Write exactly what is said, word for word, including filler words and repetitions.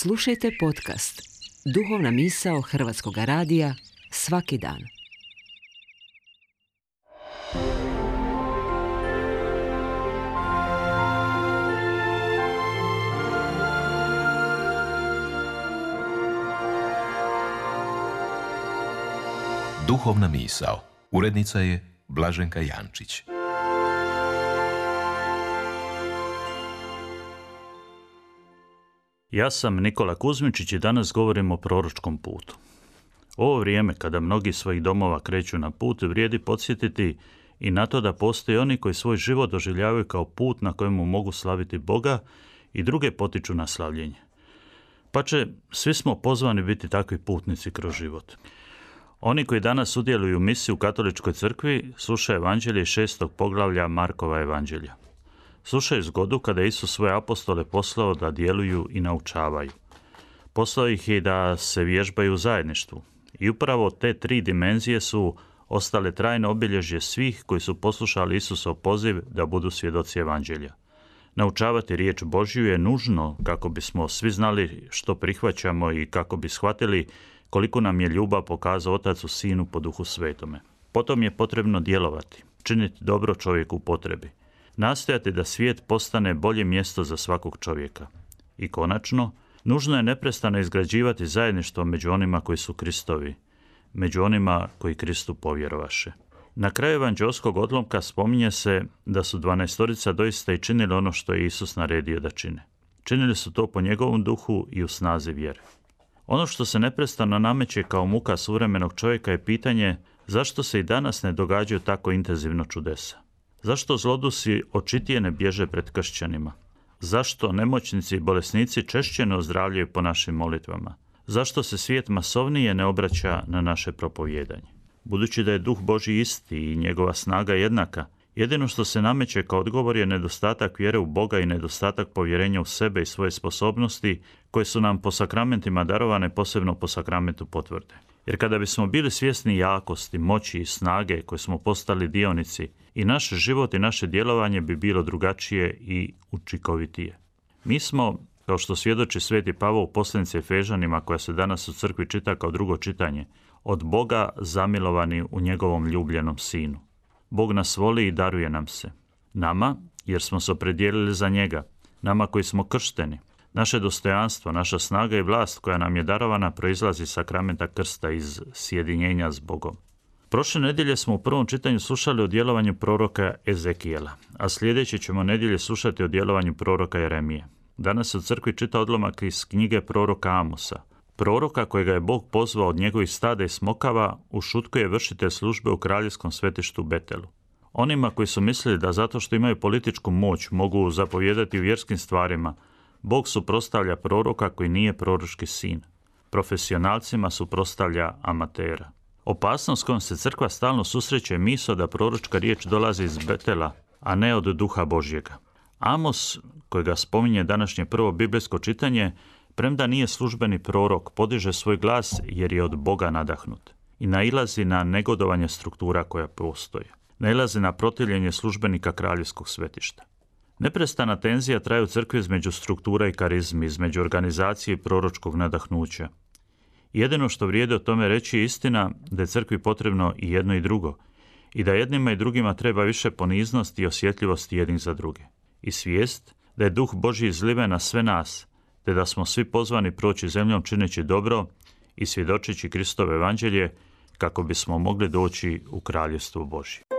Slušajte podcast Duhovna misao Hrvatskog radija svaki dan. Duhovna misao. Urednica je Blaženka Jančić. Ja sam Nikola Kuzmičić i danas govorim o proročkom putu. Ovo vrijeme kada mnogi svojih domova kreću na put, vrijedi podsjetiti i na to da postoje oni koji svoj život doživljavaju kao put na kojemu mogu slaviti Boga i druge potiču na slavljenje. Pače, svi smo pozvani biti takvi putnici kroz život. Oni koji danas sudjeluju u misiji u Katoličkoj crkvi slušaju evanđelje iz šestog poglavlja Markova evanđelja. Slušaju zgodu kada je Isus svoje apostole poslao da djeluju i naučavaju. Poslao ih je da se vježbaju u zajedništvu. I upravo te tri dimenzije su ostale trajno obilježje svih koji su poslušali Isusov poziv da budu svjedoci evanđelja. Naučavati riječ Božju je nužno kako bismo svi znali što prihvaćamo i kako bi shvatili koliko nam je ljubav pokazao Otac u Sinu po Duhu Svetome. Potom je potrebno djelovati, činiti dobro čovjeku u potrebi. Nastojati da svijet postane bolje mjesto za svakog čovjeka. I konačno, nužno je neprestano izgrađivati zajedništvo među onima koji su Kristovi, među onima koji Kristu povjerovaše. Na kraju evanđeoskog odlomka spominje se da su dvanaestorica doista i činili ono što je Isus naredio da čine. Činili su to po njegovom duhu i u snazi vjere. Ono što se neprestano nameće kao muka suvremenog čovjeka je pitanje zašto se i danas ne događaju tako intenzivno čudesa. Zašto zlodusi očitije ne bježe pred kršćanima? Zašto nemoćnici i bolesnici češće ne ozdravljaju po našim molitvama? Zašto se svijet masovnije ne obraća na naše propovijedanje? Budući da je Duh Božji isti i njegova snaga jednaka, jedino što se nameće kao odgovor je nedostatak vjere u Boga i nedostatak povjerenja u sebe i svoje sposobnosti koje su nam po sakramentima darovane, posebno po sakramentu potvrde. Jer kada bismo bili svjesni jakosti, moći i snage koje smo postali dionici, i naš život i naše djelovanje bi bilo drugačije i učinkovitije. Mi smo, kao što svjedoči sveti Pavao u poslanici Efežanima koja se danas u crkvi čita kao drugo čitanje, od Boga zamilovani u njegovom ljubljenom Sinu. Bog nas voli i daruje nam se. Nama, jer smo se opredijelili za njega, nama koji smo kršteni. Naše dostojanstvo, naša snaga i vlast koja nam je darovana proizlazi iz sakramenta krsta, iz sjedinjenja s Bogom. Prošle nedjelje smo u prvom čitanju slušali o djelovanju proroka Ezekijela, a sljedeće ćemo nedjelje slušati o djelovanju proroka Jeremije. Danas se u crkvi čita odlomak iz knjige proroka Amosa. Proroka kojega je Bog pozvao od njegovih stada i smokava ušutkuje vršitelj službe u kraljevskom svetištu Betelu. Onima koji su mislili da zato što imaju političku moć mogu zapovijedati u vjerskim stvarima, Bog suprotstavlja proroka koji nije proročki sin. Profesionalcima suprotstavlja amatera. Opasnost s kojom se crkva stalno susreće je misao da proročka riječ dolazi iz Betela, a ne od Duha Božjega. Amos, kojega spominje današnje prvo biblijsko čitanje, premda nije službeni prorok, podiže svoj glas jer je od Boga nadahnut i nailazi na negodovanje struktura koja postoje. Nailazi na protivljenje službenika kraljevskog svetišta. Neprestana tenzija traje u crkvi između struktura i karizmi, između organizacije i proročkog nadahnuća. Jedino što vrijede o tome reći je istina da je crkvi potrebno i jedno i drugo i da jednima i drugima treba više poniznosti i osjetljivosti jednih za druge. I svijest da je Duh Božji izliven na sve nas, te da smo svi pozvani proći zemljom čineći dobro i svjedočeći Kristovo evanđelje kako bismo mogli doći u Kraljevstvo Božje.